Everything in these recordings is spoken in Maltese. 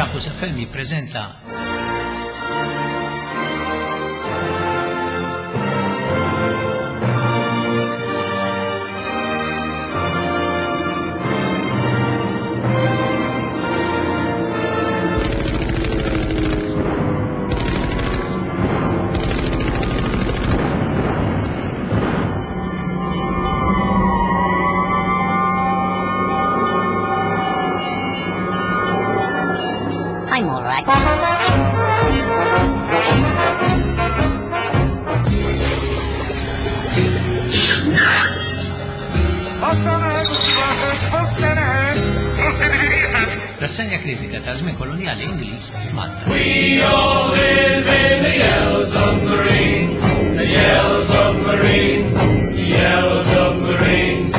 Campus FM jippreżenta I'm all right. Rassenja kritika ta' żmien kolonjali Ingliż f'Malta. We all live in the yellow submarine, the yellow submarine, the yellow submarine.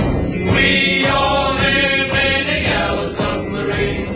We all live in the yellow submarine,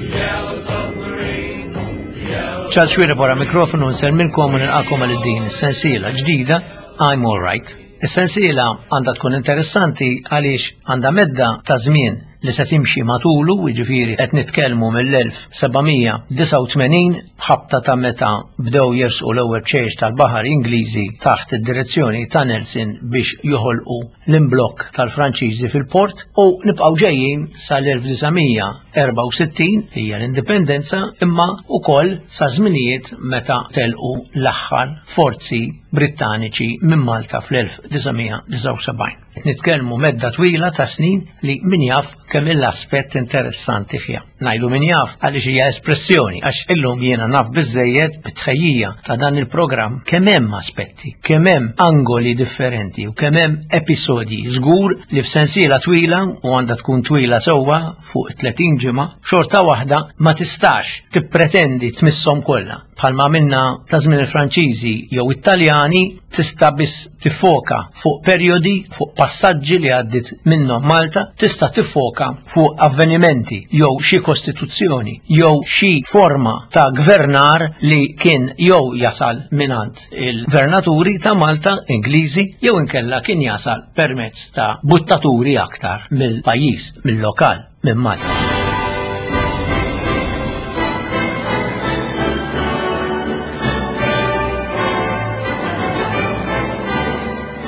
the yellow submarine, the yellow Charles Xuereb wara mikrofonu nsellmilkom u nilqakom għal din is-sensiela ġdida I'm All Right. Is-sensiela għandha tkun interessanti għaliex għandha medda ta' żmien li se timxi matulu, jiġifieri qed nitkellmu mill-1789 ħabta ta' meta bdew jersqu l-ewwel bċejjeċ tal-baħar Ingliżi taħt id-direzzjoni ta' Nelson biex joħolqu l-imblokk tal-Franċiżi fil-port u nibqgħu ġejjin sal-1964 li hija l-Indipendenza imma wkoll sa żminijiet meta telqu l-aħħar forzi Brittaniċi minn Malta fl-1979. Qed nitkellmu medda twila ta' snin li min jaf kemm l-aspett interessanti fiha. Ngħidu min jaf għaliex hija espressjoni għax illum jiena naf biżejjed bit-tħejjija ta' dan il-programm kemm hemm aspetti, kemm hemm angoli differenti u kemm hemm episodji żgur li f'sensiela twila u għandha tkun twila sewwa fuq 30 ġimgħa, xorta waħda ma tistax tippretendi tmisshom kollha. Bħalma għamilna ta' żmien il-Franċiżi jew it-Taljani, tista' biss tiffoka fuq perjodi, fuq passaġġi li għaddiet minnhom Malta, tista' tiffoka fuq avvenimenti jew xi kostituzzjoni jew xi forma ta' gvernar li kien jew jasal mingħand il-gvernaturi ta' Malta Ingliżi jew inkella kien jasal permezz ta' buttaturi aktar mill-pajjiż, mill-lokal. minn Malta.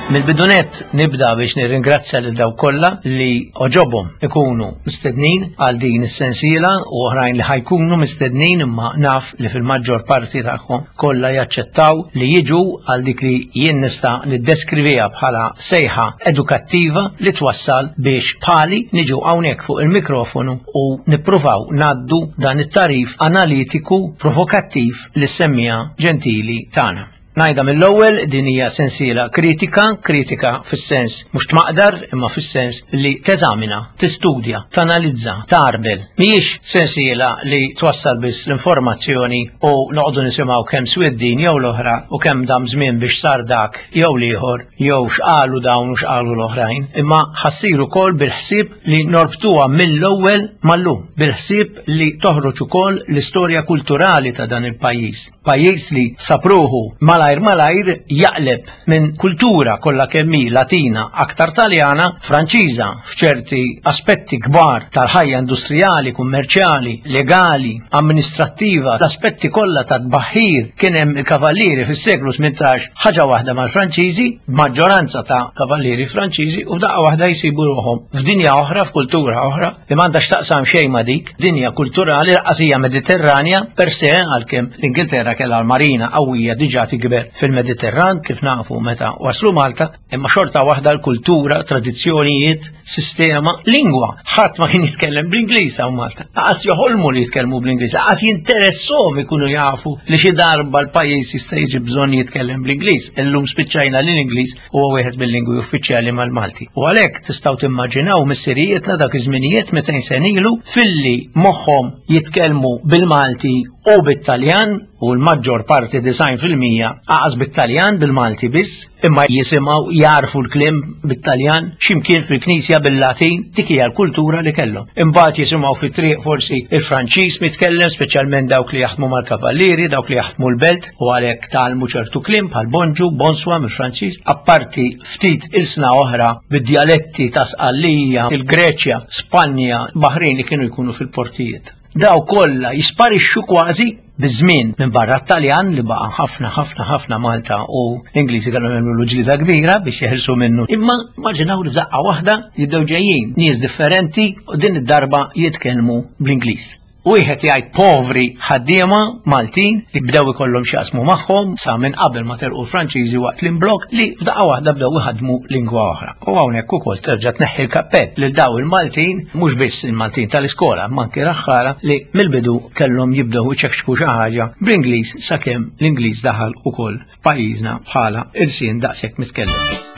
Mill-bidunett nibda biex nirringrazzja lil dawk kollha li oġobhom ikunu mistednin għal din is-sensiela u oħrajn li ħajkunu mistednin imma naf li fil-maġġor parti tagħhom kollha jaċċettaw li jiġu għal dik li jien nista' niddeskriviha bħala sejħa edukattiva li twassal biex bħali niġu hawnhekk fuq il-mikrofonu u nippruvaw ngħaddu dan it-tagħrif analitiku provokattiv lis-semmiegħa ġentili tagħna. Ngħidha mill-ewwel din hija sensiela kritika, kritika fis-sens mhux tmaqdar imma fis-sens li teżamina, tistudja, tanalizza, tgħarbel. Mhijiex sensiela li twassal biss l-informazzjoni u noqogħdu nisimgħu kemm swiet din jew l-oħra u kemm dam żmien biex sar dak jew l-ieħor jew x'qalu dawn u x'qalu l-oħrajn, imma ħa ssir ukoll bil-ħsieb li norbtuha mill-ewwel mal-lum, bil-ħsieb li toħroġ ukoll l-istorja kulturali ta' dan il-pajjiż. Pajjiż li sab ruħu malajr malajr jaqleb minn kultura kollha kemm hi Latina aktar Taljana, Franċiża f'ċerti aspetti kbar tal-ħajja industrijali, kummerċjali, legali, amministrattiva, l-aspetti kollha ta' tbaħħir kien hemm il-kavallieri fis-seklu 18 ħaġa waħda mal-Franċiżi, maġġoranza ta' kavallieri Franċiżi u f'daqqa waħda jsibu ruħhom f'dinja oħra, f'kultura oħra li m'għandha x'taqsam xejn ma' dik dinja kulturali lanqas hija Mediterranja per se għalkemm l-Ingilterra kellha l-marina qawwija diġà tikber fil-Mediterran kif nafu meta waslu Malta, imma xorta waħda l-kultura, tradizzjonijiet, sistema, lingwa. Ħadd ma kien jitkellem bl-Ingliż hawn Malta. Lanqas joħolmu li jitkellmu bl-Ingliż, lanqas jinteresshom ikunu jafu li xi darba l-pajjiż jista' jiġi bżonn jitkellem bl-Ingliż. Illum spiċċajna li l-Ingliż huwa wieħed mill-lingwi uffiċjali mal-Malti. U għalhekk tistgħu timmaġinaw missirijietna dak iż-żminijiet 200 sena ilu filli moħħhom jitkellmu bil-Malti u bit-Taljan u l-maġġor parti 90% aqas bit-Taljan bil-Malti biss, imma jisimgħu jarfu l-kliem bit-Taljan x'imkien fil-Knisja bil-Latin dik hija l-kultura li kellhom. Imbagħad jisimgħu fit-triq forsi il-Franċiż mitkellem, speċjalment dawk li jaħdmu mal-kavallieri, dawk li jaħdmu l-belt, u għalhekk tgħallmu ċertu kliem bħal bonġu, bonswa mill-Franċiż, apparti ftit ilsna oħra bid-djaletti ta' Sqallija, il-Greċja, Spanja, Baħrin li kienu jkunu fil-portijiet. Daw kollha jisparixxu kważi biż-żmien minn barra t-Taljan li baqa' ħafna ħafna ħafna Malta u l-Ingliżi kellhom jagħmlu ġlida kbira biex jeħilsu minnu. Imma immaġinaw li f'daqqa waħda jibdew ġejjin nies differenti u din id-darba jitkellmu bl-Ingliż. Wieħed jgħid povri ħaddiema Maltin li bdew ikollhom x'jaqsmu magħhom sa minn qabel ma telqu l-Franċiżi waqt l-imblokk li f'daqqa waħda bdew iħaddmu lingwa oħra. U hawnhekk ukoll terġa' tneħħi l-kappell lil daw il-Maltin, mhux biss il-Maltin tal-iskola, imma anki raħħala li mill-bidu kellhom jibdew iċekxku xi ħaġa bl-Ingliż sakemm l-Ingliż daħal ukoll f'pajjiżna bħala ilsien daqshekk mitkellem.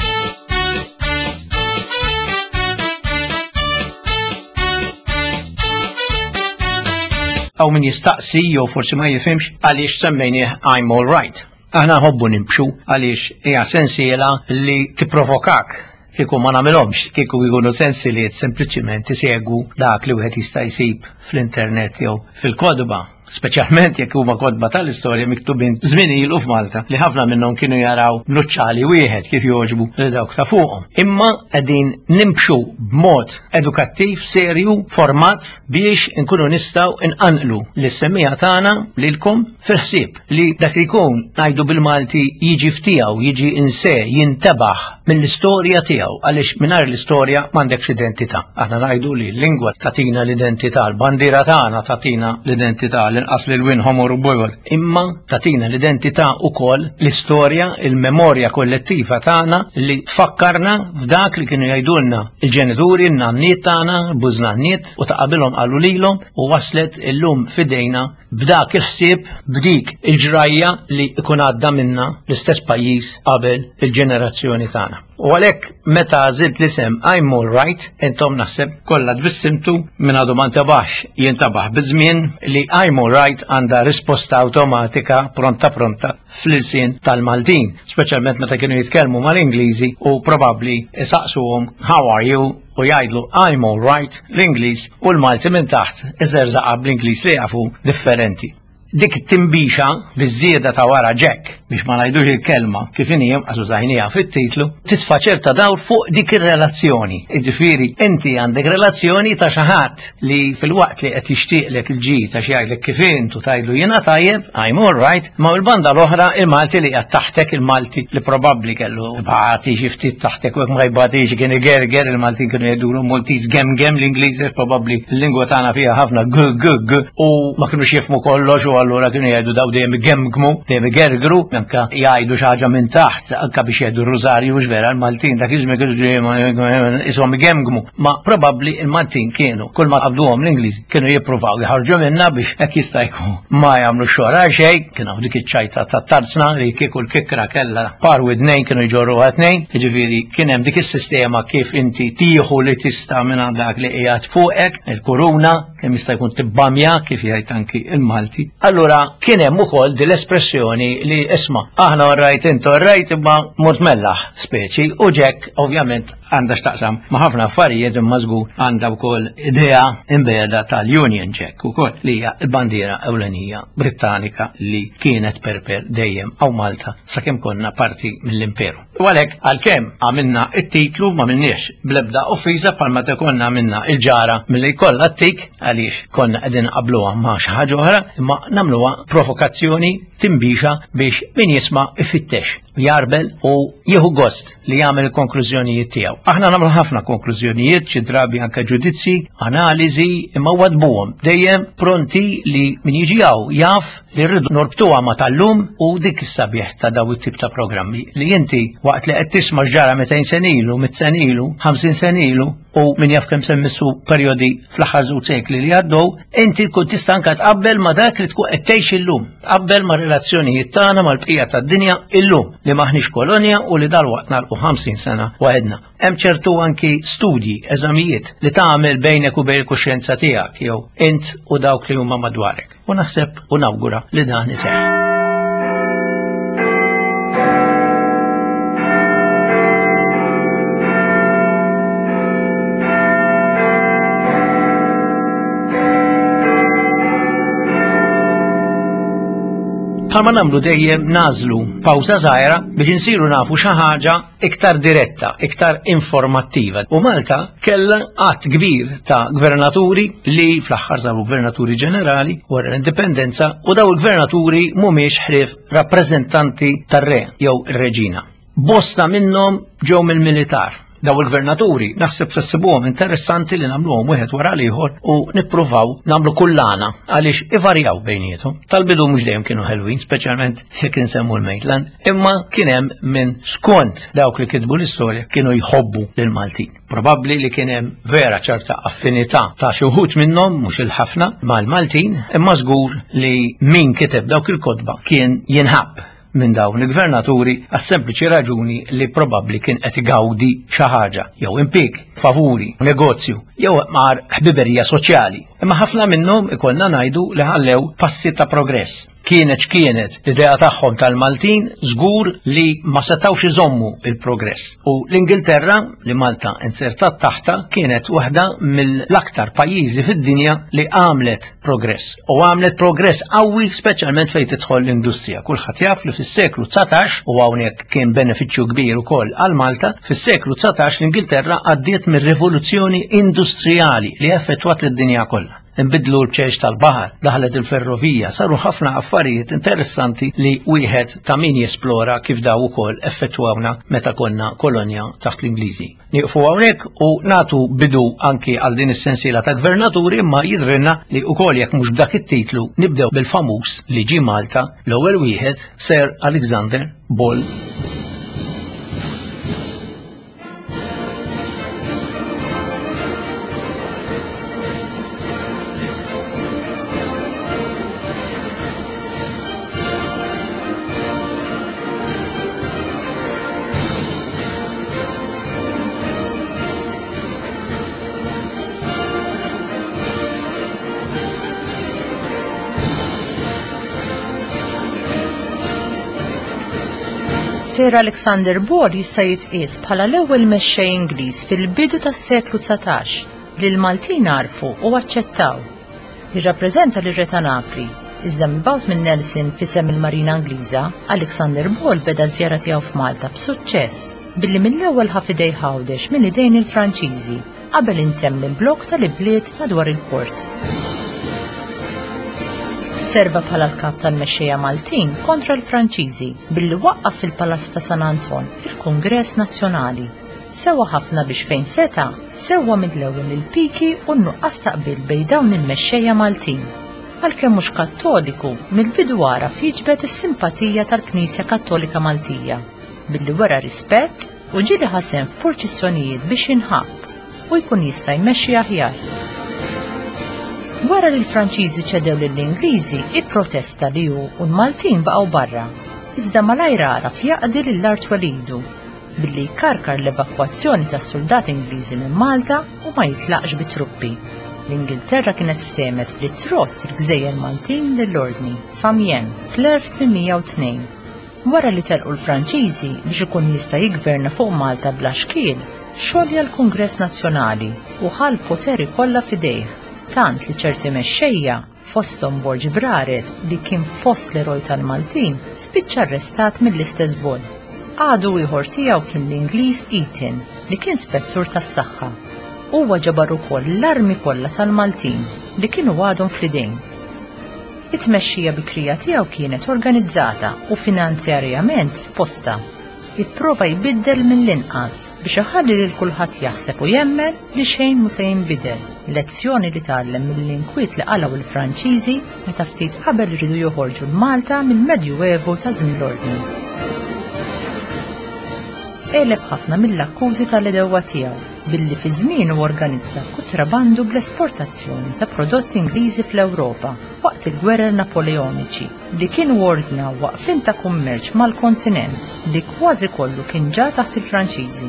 Hawn min jistaqsi jew forsi ma jifhimx għaliex semmejnieh I'm all right. Aħna nħobbu nimbxu għaliex hija sensiela li tipprovokak kieku ma nagħmilhomx, kieku jkunu sensiliet sempliċiment isegwu dak li wieħed jista' jsib fl-internet jew fil-kotba speċjalment jekk huma kotba tal-istorja miktubin żmien ilu f'Malta li ħafna minnhom kienu jaraw nuċċali wieħed kif jogħġbu li dawk ta' fuqhom. Imma qegħdin nimxu b'mod edukattiv serju format biex inkunu nistgħu nqanqlu lis-semmiegħa tagħna lilkom fil-ħsieb li dak li jkun ngħidu bil-Malti jiġi f'tiegħu, jiġi inse, jintebaħ mill-istorja tiegħu għaliex mingħajr l-istorja m'għandekx identità. Aħna ngħidu li l-lingwa tagħtina l-identità, l-bandiera tagħna tagħtina l-identità, l-inqas lil wien ħomor u bojod, imma tagħtina l-identità ukoll l-istorja, il-memorja kollettiva tagħna li tfakkarna f'dak li kienu jgħidulna il-ġenituri, n-nanniet tagħna, l-bużnanniet u ta' qabilhom qalu lilhom u waslet illum f'idejna b'dak il-ħsieb, b'dik il-ġrajja li ikun għadda minna l-istess pajjiż qabel il-ġenerazzjoni tagħna. U għalhekk meta għażilt l-isem I'm all right, intom naħseb kollha tbissimtu minn għadu ma ntabaħx jintabaħ biż-żmien li I'm all right għandha risposta awtomatika pronta pronta fl-ilsien tal-Maltin, speċjalment meta kienu jitkellmu mal-Ingliżi u probabbli isaqsuhom how are you u jgħidlu I'm all right l-Ingliż u l-Malti minn taħt iżerżaqa bl-Ingliż li jafu differenti. Dik it-timbixa biż-żieda ta' wara Jack biex ma ngħidux il-kelma kif inhi għax użajniha fit-titlu, titfa' ċerta dawl fuq dik ir-relazzjoni. Jiġifieri inti għandek relazzjoni ta' xi ħadd li filwaqt li qed jixtieqlek il-ġid għax jgħidlek kif int u tgħidlu jiena tajjeb, I'm all right, ma mill-banda l-oħra il-Malti li qiegħed taħtek, il-Malti li probabbli kellu bati xi ftit taħtek u jekk ma jbatix kien igerger, il-Maltin kienu jgħidulu Maltese gemgem l-Ingliż għax probabbli l-lingwa tagħna fiha ħafna g g g u ma kinux jifhmu kollox u allura kienu jgħidu daw dejjem igemgmu, dejjem igergru, anke jgħidu xi ħaġa minn taħt, anke biex jgħidu r-rużarju mhux vera l-Maltin dak iż-żmien kienu dejjem ishom igemgmu. Ma probabbli il-Maltin kienu kull ma qabduhom l-Ingliżi kienu jippruvaw jħarġu minna biex hekk jista' jkun ma jagħmlu xogħol għal xejn, kien hawn dik iċ-ċajta ta' tarzna li kieku l-kikra kellha par widnejn kienu jġorruha tnejn, jiġifieri kien hemm dik is-sistema kif inti tieħu li tista' minn dak li qiegħed fuqek, il-kuruna, kemm jista' jkun tibbamja kif jgħid anki il-Malti. Allura kien hemm ukoll din l-espressjoni li isma' aħna orrajt int orrajt imma mort mellaħ speċi u Jack ovvjament għandha x'taqsam ma' ħafna affarijiet imma żgur għandha wkoll idea imbegħda tal-Union Jack ukoll li hija l-bandiera ewlenija Brittanika li kienet perper dejjem hawn Malta sakemm konna parti mill-Imperu. U għalhekk għalkemm għamilna it-titlu ma minniex bl-ebda offiża bħal meta konna għamilna il-ġara milli jkollha t-tik għaliex konna qegħdin nqabbluha ma' xi ħaġa oħra imma nagħmluha provokazzjoni timbixa biex min jisma' ifittex jarbel u jieħu gost li jagħmel il-konklużjonijiet tiegħu. Aħna nagħmlu ħafna konklużjonijiet, xi drabi anke ġudizzji, analiżi, imma wadbuhom dejjem pronti li min jiġi hawn jaf li rridu norbtuha ma tal-lum u dik is-sabiħ ta' daw it-tip ta' programmi li inti waqt li qed tisma' x'ġara 200 sen ilu, 100 sen ilu, 50 sen ilu u min jaf kemm semmissu perjodi fl-aħħar żewġ sekli li għaddew, inti tkun tista' anke tqabbel ma' dak li tkun qed tgħix illum, tqabbel ma' relazzjonijiet tagħna mal-bqija tad-dinja illum li m'aħniex kolonja u li dalwaqt nagħlqu 50 sena waħedna. Hemm ċertu anki studji, eżamijiet li tagħmel bejnek u bejn il-kuxjenza tiegħek jew int u dawk li huma madwarek. U naħseb u nawgura li dan iseħħ. Bħalma nagħmlu dejjem nażlu pawża żgħira biex insiru nafu xi ħaġa iktar diretta, iktar informattiva. U Malta kellha għadd kbir ta' gvernaturi li fl-aħħar saru gvernaturi ġenerali wara l-indipendenza u daw il-gvernaturi mhumiex ħrief rappreżentanti tar-re jew ir-reġina. Bosta minnhom ġew mill-militar. Daw il-gvernaturi naħseb se ssibuhom interessanti li nagħmluhom wieħed wara l-ieħor u nippruvaw nagħmlu kullana għaliex ivarjaw bejniethom. Tal-bidu mhux dejjem kienu ħelwin, speċjalment jekk insemmu l-Maitland, imma kien hemm minn skont dawk li kitbu l-istorja kienu jħobbu lil Maltin. Probabbli li kien hemm vera ċerta affinità ta' xi wħud minnhom mhux il-ħafna mal-Maltin, imma żgur li min kiteb dawk il-kotba kien jinħabb minn dawn il-gvernaturi għas-sempliċi raġuni li probabbli kien qed igawdi xi ħaġa, jew impjieg, favuri, negozju, jew mar ħbiberija soċjali. Imma ħafna minnhom ikollna ngħidu li ħallew passi ta' progress. Kienet x'kienet l-idea tagħhom tal-Maltin żgur li ma setgħux iżommu il-progress. U l-Ingilterra li Malta inzertat taħta kienet waħda mill-aktar pajjiżi fid-dinja li għamlet progress. U għamlet progress qawwi speċjalment fejn tidħol l-industrija. Kulħadd jaf li fis-seklu 19 u hawnhekk kien benefiċċju kbir ukoll għal Malta, fis-seklu 19 l-Ingilterra għaddiet mir-rivoluzzjoni industrijali li effettwat lid-dinja kollha. Inbidlu l-bċeċ tal-baħar, daħlet il-ferrovija, saru ħafna affarijiet interessanti li wieħed ta' min jesplora kif daw ukoll effettwawna meta konna kolonja taħt l-Ingliżi. Nieqfu hawnhekk u nagħtu bidu anki għal din is-sensiela ta' gvernaturi imma jidhrilna li wkoll jekk mhux b'dak it-titlu nibdew bil-famuż li ġie Malta l-ewwel wieħed Sir Alexander Ball. Sir Alexander Ball jista' jitqies bħala l-ewwel mexxej Ingliż fil-bidu tas-seklu 19 li l-Maltin għarfu u aċċettaw. Jirrappreżenta lir-Re ta' Napli, iżda mibgħut minn Nelson f'isem il-Marina Ingliża, Alexander Ball beda ż-żjara tiegħu f'Malta b'suċċess billi mill-ewwel ħa f'idejh Għawdex minn idejn il-Franċiżi qabel intemm l-imblokk tal-ibliet madwar il-port. Serva bħala l-kap tal-mexxejja Maltin kontra l-Franċiżi billi waqqaf fil-Palazz ta' San Anton il-Kungress Nazzjonali. Sewa ħafna biex fejn seta', sewwa mill-ewwel il-piki u n-nuqqas ta' qbil bejn dawn il-mexxejja Maltin. Għalkemm mhux Kattoliku, mill-bidu għaraf jiġbed is-simpatija tal-Knisja Kattolika Maltija, billi wera rispett u ġieli ħa sehem f'purċissjonijiet biex jinħabb u jkun jista' jmexxi aħjar. Wara li l-Franċiżi ċedew lill-Ingliżi, ipprotesta li hu u l-Maltin baqgħu barra, iżda malajr għaraf jaqdi lil art twelidu billi jkarkar l-evakwazzjoni tas-suldati Ingliżi minn Malta u ma jitlaqx bit-truppi. L-Ingilterra kienet ftehmet li trott il-gżejjer Maltin lill-Ordni f'Amiens fl-1802. Wara li telqu l-Franċiżi biex ikun jista' jiggverna fuq Malta bla xkiel, xolja l-Kungress Nazzjonali u ħa l-poteri kollha f'idejh, tant li ċerti mexxejja, fosthom Borg Braret li kien fost l-eroj tal-Maltin, spiċċa arrestat mill-istess Ball. Għadu ieħor tiegħu kien l-Ingliż Eaton li kien spettur tas-saħħa. Huwa ġabar ukoll l-armi kollha tal-Maltin li kienu għadhom fl-idejn. It-tmexxija bikrija tiegħu kienet organizzata u finanzjarjament f'postha. Ipprova jbiddel mill-inqas biex iħalli lil kulħadd jaħseb u jemmen li xejn mhu se jinbidel, lezzjoni li tgħallem mill-inkwiet li qalgħu l-Franċiżi meta ftit qabel riedu joħorġu 'l Malta mill-Medjuevu ta' żmien l-Ordni. Għeleb ħafna mill-akkużi tal-għedewwa tiegħu billi fi żmienu organizza kutrabandu bl-esportazzjoni ta' prodotti Ingliżi fl-Ewropa waqt il-Gwerer Napoleoniċi. li kienu ordnaw waqfien ta' kummerċ mal-kontinent li kważi kollu kien ġa taħt il-Franċiżi.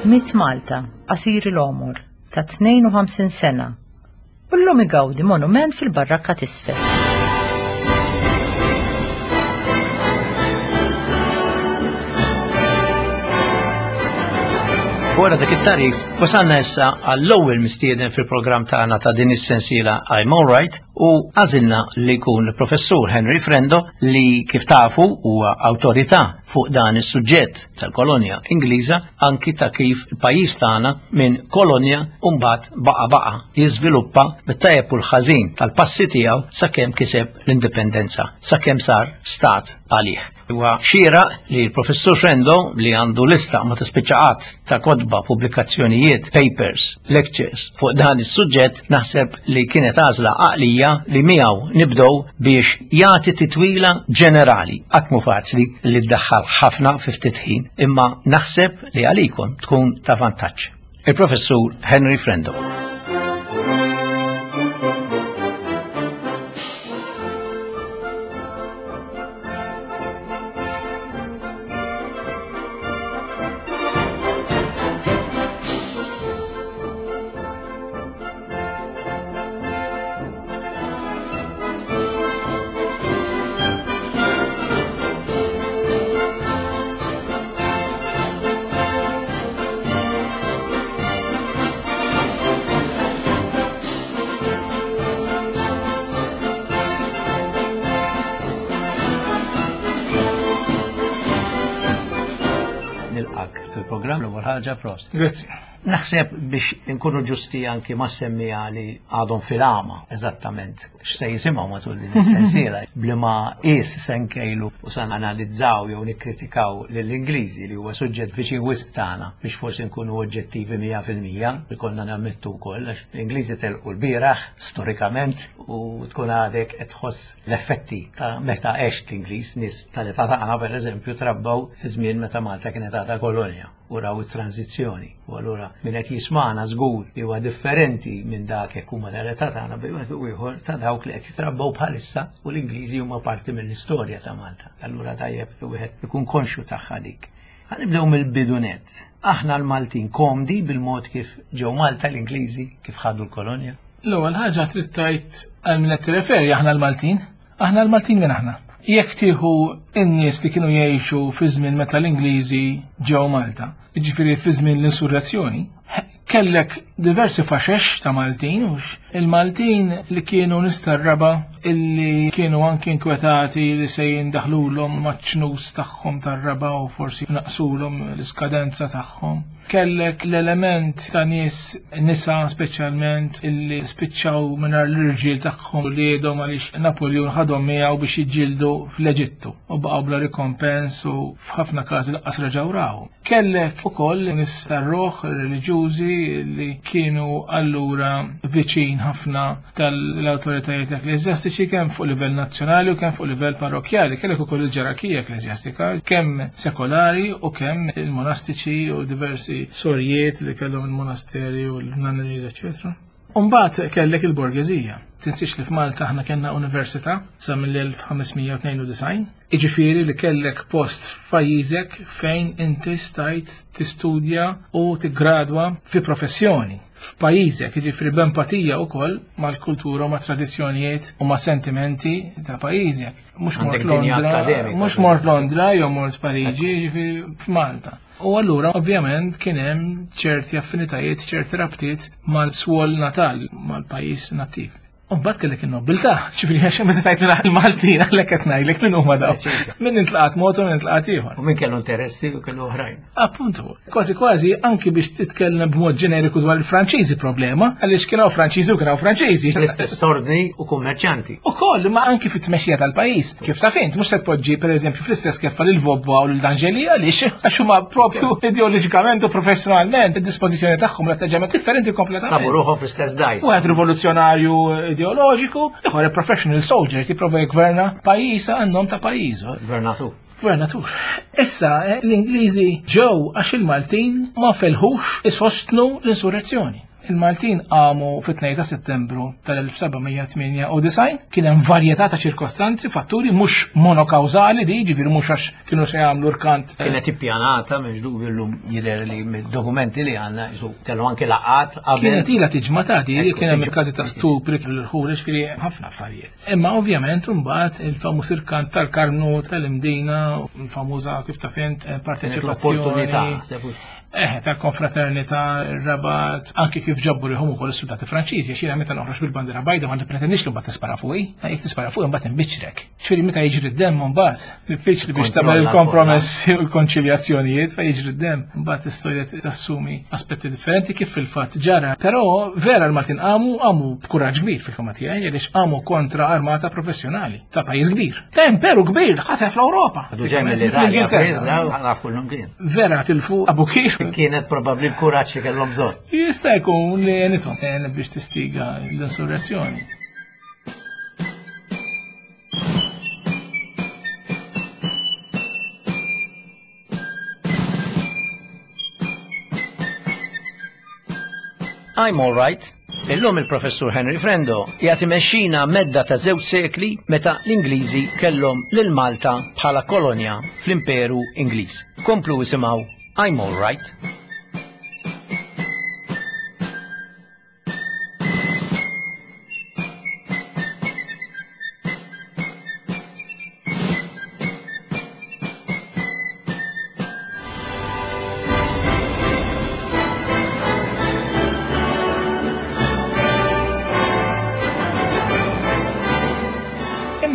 Miet Malta, qasir il-għomor, ta' 52 sena, u llum igawdi monument fil-Barrakka t'Isfel. Wara dak it-tarif, wasalna issa għall-ewwel mistieden fil-programm tagħna ta' din is-sensiela I'm Alright. U għażilna li jkun il-Professur Henry Frendo li kif tafu huwa awtorità fuq dan is-suġġett tal-kolonja Ingliża anki ta' kif il-pajjiż tagħna minn kolonja u mbagħad baqa' baqa' jiżviluppa bit-tajjeb u l-ħażin tal-passi tiegħu sakemm kiseb l-indipendenza, sakemm sar stat għalih. Huwa xieraq li l-Professur Frendo li għandu lista ma tispiċċa qatt ta' kotba, pubblikazzjonijiet, papers, lectures fuq dan is-suġġett naħseb li kienet għażla għaqlija li miegħu nibdew biex jagħti titwila ġenerali. Qatt mhu faċli li ddaħħal ħafna fi ftit ħin, imma naħseb li għalikom tkun ta' vantaġġ. Il-Professur Henry Frendo. Nilqak fil-programm l-ewwel ħaġa prost. Grazzi. Naħseb biex inkunu ġusti anki ma' semmija li għadhom fil-għama eżattament x'se jisimgħu matul din is-sensiela bli ma qis se nkejlu u se analizzaw jew nikkritikaw lill-Ingliżi li huwa suġġett viċin wisq tagħna biex forsi nkunu oġġettivi 100% ikollna nammettu wkoll għax l-Ingliżi telqu l-bieraħ storikament u tkun għadek qed tħoss l-effetti ta' meta għext l-Ingliż nies tal-età tagħna pereżempju trabbaw fi żmien meta Malta kienet għadha kolonja u raw it-tranżizzjoni. U allura min qed jismagħna żgur li huwa differenti minn dak jekk huma tal-età tagħna bejn wieħed u ieħor ta' dawk li qed jitrabbaw bħalissa u l-Ingliżi huma parti mill-istorja ta' Malta. Allura tajjeb li wieħed ikun konxju tagħha dik. Ħa nibdew mill-bidu nett. Aħna l-Maltin komdi bil-mod kif ġew Malta l-Ingliżi kif ħadu l-kolonja? L-ewwel ħaġa trid tgħid għal min qed tirreferi aħna l-Maltin. Aħna l-Maltin minn aħna. Jekk tieħu n-nies li kienu jgħixu fi żmien meta l-Ingliżi ġew Malta, jiġifieri fi żmien l-insurrezzjoni, kellek diversi faxex ta' Maltin, hux il-Maltin li kienu nies tar-raba' illi kienu anki inkwetati li se jindaħlulhom maċ-ċnus tagħhom tar-raba' u forsi naqsulhom l-iskadenza tagħhom. Kellek l-element ta' nies nisa speċjalment illi spiċċaw mingħajr l-irġiel tagħhom u liedhom għaliex Napoleon ħadhom miegħu biex jiġġieldu fl-Eġittu u baqgħu bla rikompens u f'ħafna każi lanqas reġgħu rawhom. Kellek ukoll nies tar-ruħ reliġjużi li kienu allura viċin ħafna tal-awtoritajiet ekkleżjastiċi kemm fuq livell nazzjonali u kemm fuq livell parrokkjali. Kellek ukoll il-ġerarkija ekkleżjastika, kemm sekolari u kemm il-monastiċi u diversi sorijiet li kellhom il-monasteri u l-nunneries, eċċetera. Umbagħad kellek il-borgeżija. Tinsiex li f'Malta aħna kellna università sa mill-1592, jiġifieri li kellek post f'pajjiżek fejn inti stajt tistudja u tiggradwa fi professjoni f'pajjiżek, jiġifieri b'empatija wkoll mal-kultura u mat-tradizzjonijiet u ma' sentimenti ta' pajjiżek. Mhux mort Londra, mhux mort Londra jew mort Pariġi, jiġifieri f'Malta. U allura ovvjament kien hemm ċerti affinitajiet, ċerti rabtiet mal-swol natal, mal-pajjiż nattiv. U mbagħad kellek in-nobbiltà, ġifieri għax meta tajt minn il-Maltin għalhekk qed ngħidlek min huma daw. Min intlaqat mod u min intlaqat ieħor. U min kellu interessi u kellu oħrajn. Appuntu, kważi kważi anki biex titkellem b'mod ġeneriku dwar il-Franċiżi problema, għaliex kien hawn Franċiżi u kien hawn Franċiżi. L-istess ordni u kummerċanti. Ukoll, ma anki fit-tmexxija tal-pajjiż. Kif taf int, mhux se tpoġġi pereżempju fl-istess keffa lil Vobba u lil D'Angeli għaliex għax huma propju ideoloġikament u professjonalment id-dispożizzjoni tagħhom l-atteġġjament differenti kompletament. Sabu ruħhom fl-istess dajs. Wieħed rivoluzzjonarju ideoloġiku, ieħor professional soldier jipprova jgverna pajjiż għan-nom ta' pajjiżu. Gvernatur. Gvernatur. Issa l-Ingliżi ġew għax il-Maltin ma felħux isostnu l-insurrezzjoni. Il-Maltin qamu fit-2 ta' Settembru tal-1798, kien hemm varjetà ta' ċirkostanzi, fatturi mhux monokawżali di, ġifieri mhux għax kienu se jagħmlu rkant. Kienet ippjanata m'hemmx dubju llum jidher li mid-dokumenti li għandna jisu kellu anke laqgħat qabel. Kienet ilha tiġma ta' di, kien hemm każi ta' stupri l-ħur, ġifieri ħafna affarijiet. Imma ovvjament imbagħad il-famuż irkant tal-Karmnu tal-Imdina, il-famuża kif taf int parteċipazzjoni. L-opportunità. Eh, tal-konfraternità, ir-Rabat, anki kif ġabbu rihom ukoll is-soldati Franċiżi, għax jiena meta noħroġ bil-bandiera bajda ma nippretendix li mbagħad tispara fuqi, jekk tispara fuqi mbagħad inbiċċrek. Ġifieri meta jiġri d-demm mbagħad, diffiċli biex tagħmel il-kompromessi u l-konċiljazzjonijiet fejn jiġri d-demm, mbagħad istorja tassumi aspetti differenti kif fil-fatt ġara. Però vera l-Maltin qamu, qamu b'kuraġġ kbir fil-fema tiegħi għaliex qamu kontra armata professjonali ta' pajjiż kbir. Ta' imperu kbir ħatef l-Ewropa. Ġej mill-Italja, kullum kien. Vera tilfu Abukir. Kienet probabbli l-kuraġġ li kellhom bżonn. Jista' jkun li għenithom biex tistiga l-insurrezzjoni. I'm all right. Illum il-professur Henry Frendo jagħti mexxina medda ta' żewġ sekli meta l-Ingliżi kellhom lil Malta bħala kolonja fl-Imperu Ingliż. Komplu isimgħu I'm all right.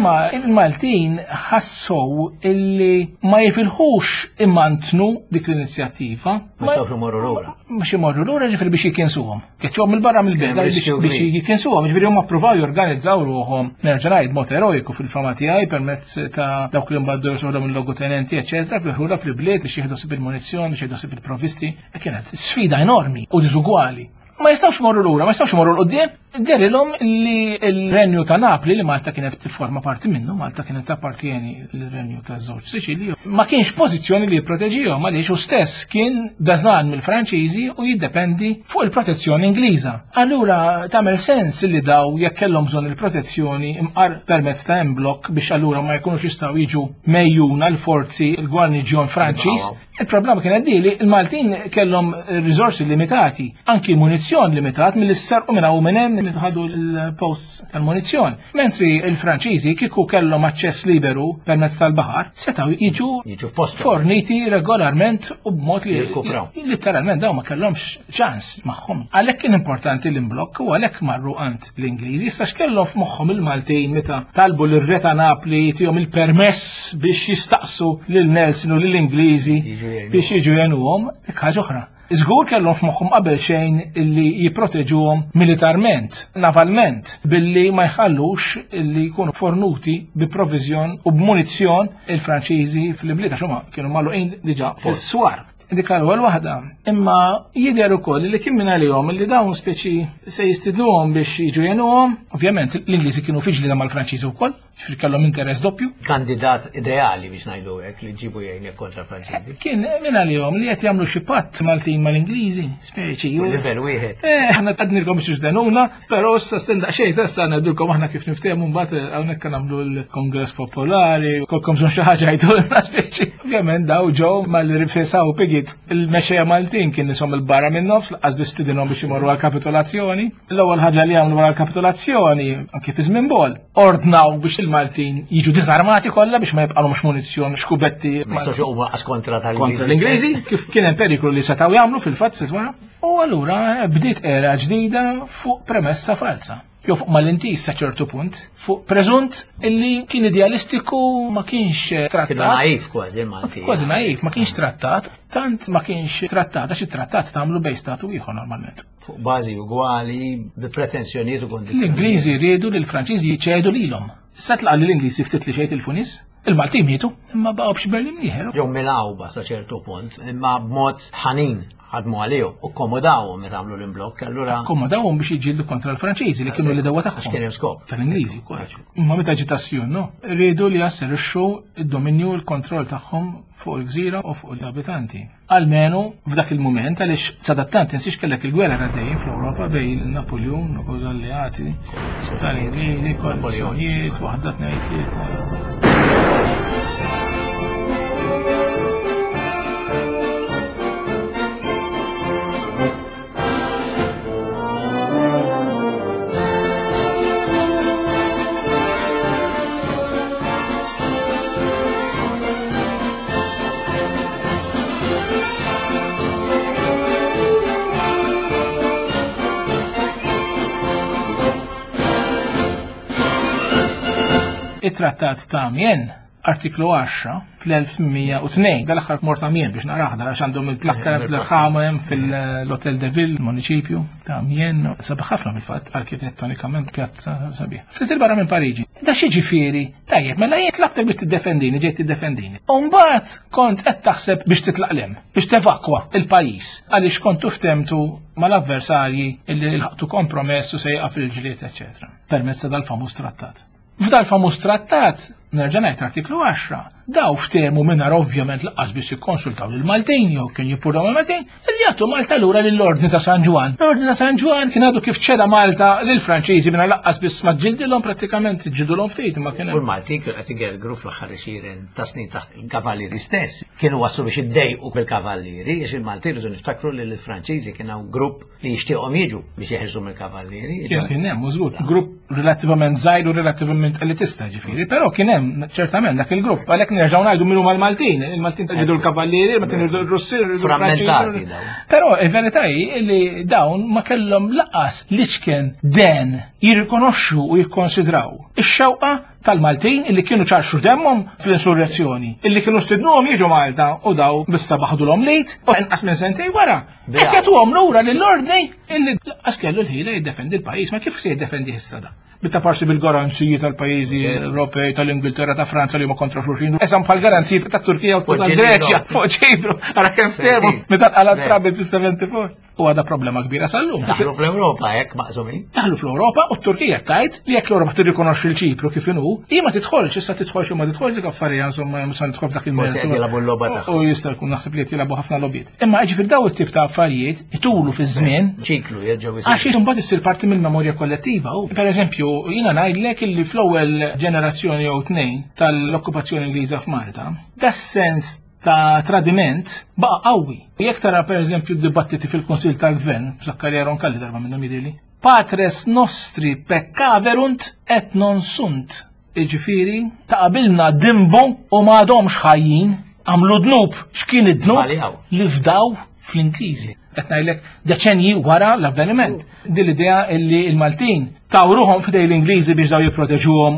Imma il-Maltin ħassow illi ma jifilħux imantnu dik l-inizjattiva. Ma jistgħux imorru lura. Mhux imorru lura ġifieri biex jikinsuhom. Keċċhom mill-barra mill-belt biex jikinsuhom, ġifieri huma ppruvaw jorganizzaw ruħhom nerġa' ngħid mod eroiku fil-fama tiegħi permezz ta' dawk li mbagħad josoħdhom il-logotenenti, eċetera, fil-ħula fil-bliet biex jieħdu sib il-munizzjon, biex jieħdu sib il-provvisti. E kienet sfida enormi u diżugwali. Ma jistgħux morru lura, ma jistgħux morru l-qudiem. Derilhom li l-Renju ta' Napli li Malta kienet tifforma parti minnu, Malta kienet tappartieni l-Renju ta' żewġ Siċilji, ma kienx f'pożizzjoni li jipproteġihom għaliex hu stess kien beżan mill-Franċiżi u jiddependi fuq il-protezzjoni Ingliża. Allura tagħmel sens li daw jekk kellhom bżonn il-protezzjoni imqar permezz ta' emblok biex allura ma jkunux jistgħu jiġu mejjuna l-forzi l-gwarniġjon Franċiż. Il-problema kienet di li l-Maltin kellhom riżorsi limitati, anki munizzjon limitat mill sarqu minn hawn minn hemm li ħadu l-posts tal-munizzjon. Mentri il-Franċiżi kieku kellhom aċċess liberu permezz tal-baħar, setgħu jiġu forniti regolarment u b'mod li letteralment dawn ma kellhomx ċans magħhom. Għalhekk kien importanti l-imblokk u għalhekk marru għand l-Ingliżi. Issa x'kellhom f'moħħhom il-Maltin meta talbu lir-Re ta' Napli jtihom il-permess biex jistaqsu lil Nelson u lill-Ingliżi biex jiġu jgħinuhom, dik ħaġa oħra. Żgur kellhom f'moħħhom qabel xejn illi jipproteġuhom militarment, navalment, billi ma jħallux illi jkunu fornuti bi proviżjon u b'munizzjon il-Franċiżi fl-ibliet għax huma kienu magħluqin diġà fis-swar. Dik l-ewwel waħda. Imma jidher ukoll li kien minn għalihom li dawn speċi se jistidnuhom biex jiġu jgħinuhom. Ovvjament l-Ingliżi kienu fi ġlieda mal-Franċiżi wkoll, ġifieri kellhom interess doppju. Kandidat ideali biex ngħidu hekk li ġibu jgħinek kontra Franċiżi. Kien minn għalihom li qed jagħmlu xi patt Maltin mal-Ingliżi, speċi. Livell wieħed. Eh, aħna għadnilkom biex ġdenuna, Però issa stenda xejn issa ngħidulkom aħna kif niftehmu mbagħad eh, hawnhekk nagħmlu l-Kongress Popolari, kolkom bżonn xi ħaġa jgħidulna speċi. Ovvjament daw ġew mal-rifesaw pigit il-mexxejja Maltin kien nisom il-barra minn nofs laqas biss stidinhom biex imorru għall-kapitolazzjoni. L-ewwel ħaġa li għamlu wara l-kapitolazzjoni anke fi żmien bol, ordnaw biex il-Maltin jiġu diżarmati kollha biex ma jibqalhomx munizzjon xkubetti. Ma jistgħux huma kontra tal-Ingliżi. Kif kien hemm periklu li setgħu jagħmlu fil-fatt sitwara. U allura bdiet era ġdida fuq premessa falsa. Jew fuq mal-intiż sa ċertu punt, fuq preżunt illi kien idealistiku ma kienx trattat. Kien naif kważi Malti. Kważi naif, ma kienx trattat, tant ma kienx trattat, għax it-trattat tagħmlu bejn statu ieħor normalment. Fuq bażi ugwali, bi pretensjonijiet u kondizzjonijiet. L-Ingliżi riedu li l-Franċiżi jċedu lilhom. Sa tlaqa li l-Ingliżi ftit li xejn il-funis, il-Maltin mietu, imma baqgħu b'xi Berlin ieħor. Ġew milgħuba sa ċertu punt, imma b'mod ħanin ħadmu għalihom u kkomodawhom meta għamlu l-imblokk, allura. Kkomodawhom biex jiġġieldu kontra l-Franċiżi li kienu l-idewwa tagħhom. Għax kien hemm skop. Tal-Ingliżi wkoll. Imma meta ġiet Assjun, no? Riedu li jasserixxu d-dominju u l-kontroll tagħhom fuq il-gżira u fuq l-abitanti. Almenu f'dak il-mument għaliex sadattant tinsiex kellek il-gwerra għaddejjin fl-Ewropa bejn Napoleon u l-alleati tal-Ingliżi, koalizzjonijiet, waħda tnejn tlieta. It-Trattat ta' Amiens, artiklu 10, fl-1802, dal-aħħar mort Amiens biex naraħda għax għandhom il-plakka l-ħama hemm fil-Hotel de Ville, municipju ta' Amiens, sabiħ ħafna fil-fatt arkitettonikament pjazza sabiħ. Ftit il-barra minn Pariġi. Da xi ġifieri, tajjeb, mela jien tlabtek biex tiddefendini, ġejt tiddefendini. U mbagħad kont qed taħseb biex titlaq lem, biex tevakwa il-pajjiż għaliex kontu ftemtu mal-avversarji illi lħaqtu kompromess u se jieqaf il-ġlied, eċetera, permezz ta' dal-famuż trattat. F'dal-famuż trattat, nerġa' ngħid artiklu 10, daw ftehmu mingħajr ovvjament laqqas biss jikkonsultaw lill-Maltin jew kien jippurdaw mal-Maltin, li jagħtu Malta lura lill-Ordni ta' San Ġwann. L-Ordni ta' San Ġwann kien għadu kif ċeda Malta lill-Franċiżi mingħajr laqqas biss ma ġildilhom prattikament ġildulhom ftit ma kien U l-Maltin kienu qed igergru fl-aħħar għexieren ta' snin taħt il-Kavallieri stess. Kienu waslu biex iddejqu bil-Kavallieri, għax il-Maltin rridu niftakru li l-Franċiżi kien hawn grupp li jixtieqhom jiġu biex jeħirsu mill-kavallieri. Kien kien hemm żgur, grupp relattivament żgħir u relattivament elitista ġifieri, però kien hemm ċertament dak il-grupp, għalhekk nerġgħu ngħidu min huma l-Maltin, il-Maltin jridu l-kavallieri, il-Maltin jridu r-Russi, Frammentati dawn. Però il-verità hi li dawn ma kellhom laqas l-iċken den jirrikonoxxu u jikkonsidraw ix-xewqa tal-Maltin illi kienu ċarxu demmhom fl-insurrezzjoni, illi kienu stidnuhom jiġu Malta u daw bissa baħdulhom lejt u inqas minn sentej wara. Hekk jagħtuhom lura lill-ordni illi lanqas kellu l-ħila jiddefendi l-pajjiż, ma kif se jiddefendi issa da? Bitta parsi bil-garanziji tal-pajjiżi Ewropej, tal-Ingilterra, ta' Franza li huma kontra xulxin. Esam bħal garanziji tat-Turkija u tal-Greċja fuq Ċipru, ara kemm ftehmu meta qala trabi fis-74. U għadha problema kbira sal-lum. Daħlu fl-Ewropa hekk maqsumin. Daħlu fl-Ewropa u t-Turkija tajt li jekk l-Ewropa tirrikonoxxi l-Ċipru kif inhu, hi ma tidħolx, issa tidħolx u ma tidħolx dik affarijiet insomma mhux se nidħol f'dak il-mertu. Forsi qed jilagħbu l-logħba tagħhom. U jista' jkun naħseb li qed jilagħbu ħafna logħbiet. Imma ġifier daw it-tip ta' affarijiet itulu fiż-żmien. Ċiklu jerġgħu jsir. Għax imbagħad issir parti mill-memorja kollettiva. U pereżempju, jiena ngħidlek illi fl-ewwel ġenerazzjoni jew tnejn tal-okkupazzjoni Ingliża f'Malta, das-sens ta' tradiment baqa' qawwi. Jekk tara pereżempju d-dibattiti fil-Kunsill tal-Gvern, Zakkarija Roncalli darba minnhom jidhirli, patres nostri peccaverunt et non sunt. Jiġifieri ta' qabilna dinbu u m'għadhomx ħajjin, għamlu dnub, x'kien id-dnub? Li fdaw fl-Ingliżi. Qed ngħidlek deċenji wara l-avveniment. Din l-idea illi l-Maltin taw ruħhom f'idej l-Ingliżi biex daw jipproteġuhom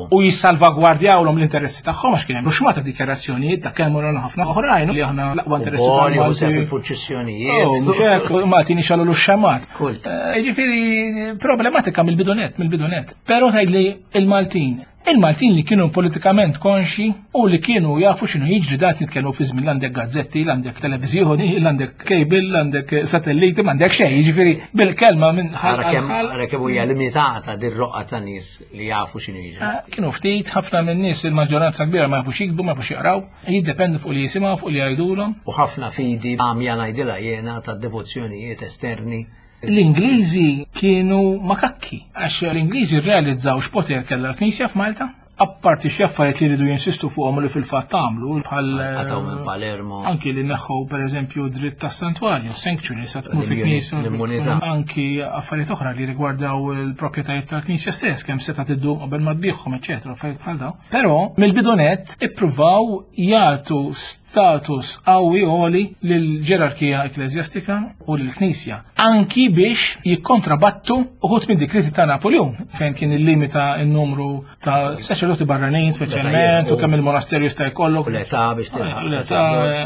u jissalvagwardjawlhom l-interessi tagħhom għax kien hemm ruxmata dikjarazzjonijiet ta' Cameron u ħafna oħrajn li aħna l-aqwa interessi tal-Maltin. fil-purċissjonijiet. Oh, mhux hekk, Maltin ixallu l-xamat. Eh, jiġifieri problematika mill-bidunet, mill-bidunet. Però tgħidli il-Maltin Il-Maltin li kienu politikament konxi u li kienu jafu x'inhu jiġri dat nitkellmu fi żmien l-għandek gazzetti, l-għandek televiżjoni, l-għandek cable, l-għandek satelliti, m'għandek xejn, jiġifieri bil-kelma minn ħal. Ara kemm hija limitata dir-roqgħa ta' nies li jafu x'inhu jiġri. Ah, kienu ftit ħafna minn nies il-maġġoranza kbira ma jafux jiktbu, ma jafux jaqraw, jiddependu fuq li jisimgħu, fuq li jgħidulhom. U ħafna fidi għamja ngħidilha jiena ta' devozzjonijiet esterni. L-Ingliżi kienu makakki, għax l-Ingliżi rrealizzaw x'poter kellha l-Knisja f'Malta, apparti xi affarijiet li jridu jinsistu fuqhom u li fil-fatt għamlu bħal Qatgħu minn Palermo. Anki li neħħu pereżempju dritt tas-santwarju, sanctuary sa tmur fi knisja. L-immunità. Anki affarijiet oħra li rigwardaw il-proprjetajiet tal-knisja stess, kemm seta' tiddum qabel ma tbigħhom, eċetera, affarijiet bħal dawn. Però mill-bidu nett ippruvaw jagħtu status qawwi għoli lill-ġerarkija ekkleżjastika u lill-Knisja, anki biex jikkontrabattu uħud mid-dikreti ta' Napoleon, fejn kien illimita n-numru ta' saċerdoti barranin speċjalment, u kemm il-monasterju jista' jkollok. U l-età biex tilħaq. L-età,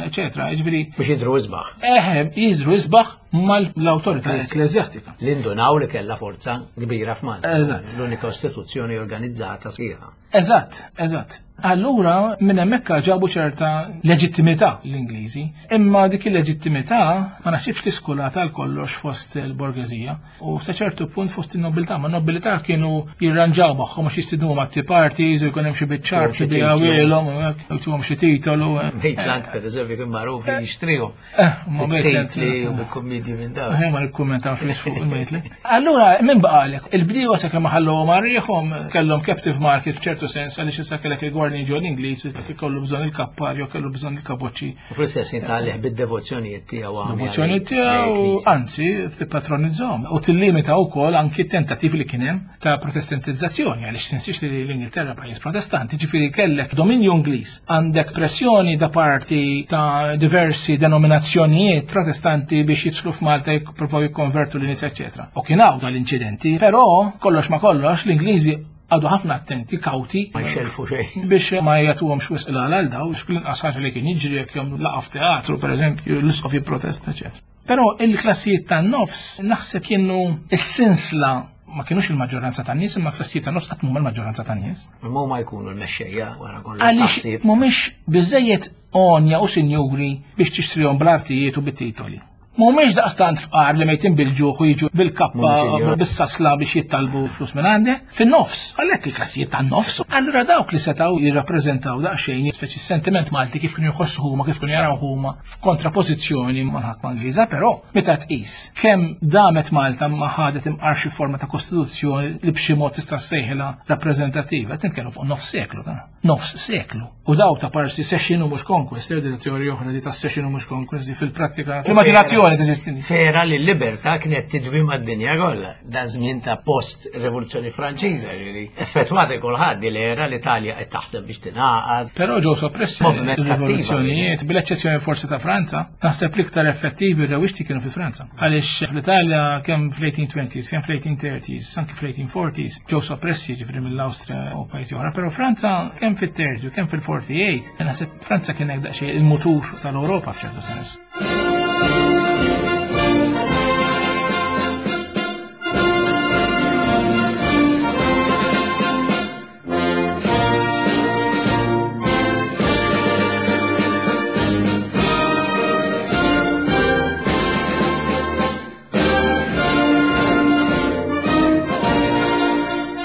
eċetera. Jiġifieri. Biex jidhru isbaħ. Eħe, jidhru isbaħ mal-awtorità ekkleżjastika. Li ndunaw li kellha forza kbira f'Malta. Eżatt. L-unika istituzzjoni organizzata sħiħa. Eżatt, eżatt. Allura minn hemmhekk ġabu ċerta leġittimità l-Ingliżi, imma dik il-leġittimità ma naħsibx li skulata għal kollox fost il-borgeżija u sa ċertu punt fost in-nobiltà, ma n-nobilità kienu jirranġaw magħhom għax jistidnuhom għat parties u jkun hemm xi biċ-ċar xi dijawilhom u hekk, u jtuhom xi titolu. Maitland pereżempju kien magħruf li jixtrihom. Eh, ma Maitland. Titli u bil-kummedji minn dawn. Eh, ma nikkummentaw fiex fuq il-Maitland. Allura, minn baqalek, il-bdiewa sa kemm ħallhom għarriħhom kellhom captive market f'ċertu sens għaliex issa kellek il-gwarniġjon Ingliż jekk ikollu bżonn il-kappar jew kellu bżonn il-kaboċċi. U fl-istess ħin tgħallih bid-devozzjonijiet tiegħu għamja. Devozzjonijiet tiegħu, anzi, tippatronizzahom u tillimita wkoll anki t-tentattiv li kien hemm ta' protestantizzazzjoni, għaliex tinsiex li l-Ingilterra pajjiż protestanti, ġifieri kellek dominju Ingliż, għandek pressjoni da parti ta' diversi denominazzjonijiet protestanti biex jidħlu f'Malta jippruvaw jikkonvertu l-nies, eċetera. U kien hawn dal-inċidenti, però kollox ma kollox l-Ingliżi Għadu ħafna attenti, kawti. Ma jxelfu xejn. Biex ma jagħtuhomx wisq l-għal daw, x'kien ħaġa li kien jiġri jekk jagħmlu laqgħa f'teatru, pereżempju, l-isqof jipprotesta, eċetera. Però il-klassijiet tan-nofs naħseb kienu s-sinsla ma kienux il-maġġoranza tan-nies, imma klassijiet tan-nofs qatt mhuma l-maġġoranza tan-nies. Imma huma jkunu l-mexxejja wara kollox. Għaliex mhumiex biżejjed għonja u sinjuri biex tixtrihom bl-artijiet u bit-titoli. Mhumiex daqstant fqar li mejtin bil-ġuħ u jiġu bil-kappa bis-sasla biex jittalbu flus minn għandek. Fin-nofs, għalhekk il-klassijiet tan-nofs. Allura dawk li setgħu jirrappreżentaw daqsxejn speċi sentiment Malti kif kienu jħossu huma, kif kienu jaraw huma f'kontrapożizzjoni mal-ħakma Ingliża, però meta tqis kemm damet Malta ma ħadet imqar xi forma ta' kostituzzjoni li b'xi mod tista' ssejħilha rappreżentattiva, qed nitkellmu fuq nofs seklu ta' nofs seklu. U daw ta' parsi session u mhux conquest, di teorija oħra di ta' session u mhux conquest di fil-prattika. Fl-immaġinazzjoni teżisti. Fera li l-libertà kienet tidwi mad-dinja kollha. Dan żmien ta' post-rivoluzzjoni Franċiża, ġifieri effettwati kulħadd li era l-Italja qed taħseb biex tingħaqad. Però ġew soppressi rivoluzzjonijiet, bil-eċċezzjoni forsi ta' Franza, naħseb l-iktar effettivi r-rewixti kienu fi Franza. Għaliex fl-Italja kemm fl-1820s, kemm fl-1830s, anki fl-1840s ġew soppressi ġifieri mill-Awstrija u pajjiżi oħra, però Franza kemm fit-30 u kemm fil-48, naħseb Franza kien hekk daqsxejn il-mutur tal-Ewropa f'ċertu sens.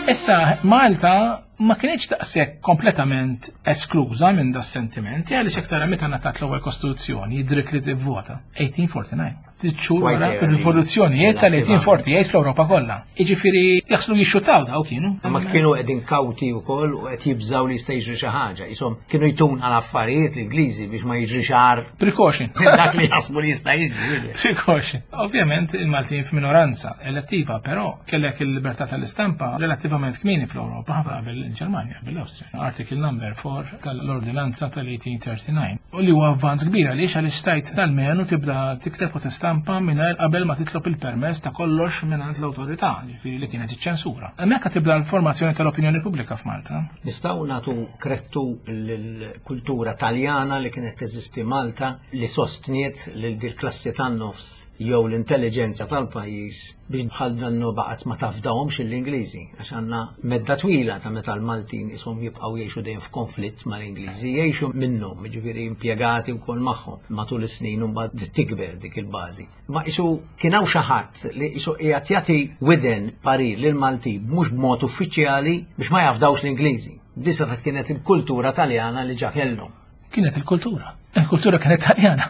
Issa, Malta ma kienx daqshekk kompletament eskluża minn da sentimenti għaliex hekk tara meta ngħatat l-ewwel kostituzzjoni, id-dritt li tivvota, 1849. Xhur wara ir-rivoluzzjonijiet tal-1848 fl-Ewropa kollha. Jiġifieri jaħslu jixxutaw daw kienu. Ma kienu qegħdin kawti wkoll u qed jibżgħu li jista' jiġri xi ħaġa. Ishom kienu jtun għal affarijiet l-Ingliżi biex ma jiġri xar. Precaution. Dak li jaħsbu li jista' jiġri. Precaution. Ovvjament il-Maltin f'minoranza elettiva, però kellek il-libertà tal-istampa relattivament kmieni fl-Ewropa ħafna qabel il-Ġermanja, qabel l-Awstrija. Article number 4 tal-Ordinanza tal-1839. U li huwa avvanz kbir għaliex għaliex stajt almenu tibda tikteb u tistampa mingħajr qabel ma titlob il-permess ta' kollox mingħand l-awtorità, ġifieri li kienet iċ-ċensura. Hemmhekk tibda l-formazzjoni tal-opinjoni pubblika f'Malta. Nistgħu nagħtu krettu lill-kultura Taljana li kienet teżisti Malta li sostniet lil dil klassi tan-nofs jew l-intelliġenza tal-pajjiż biex bħal dannu baqgħet ma tafdahomx l-Ingliżi għax għandna medda twila ta' meta l-Maltin ishom jibqgħu jgħixu dejjem f'konflitt mal-Ingliżi, jgħixu minnhom, jiġifieri impjegati wkoll magħhom matul is-snin u mbagħad tikber dik il-bażi. Ma isu kien hawn xi ħadd li isu qiegħed jagħti widen parir lill-Maltin mhux b'mod uffiċjali biex ma jafdawx l-Ingliżi. Disa kienet il-kultura Taljana li ġa kellhom. Kienet il-kultura. Il-kultura kienet taljana.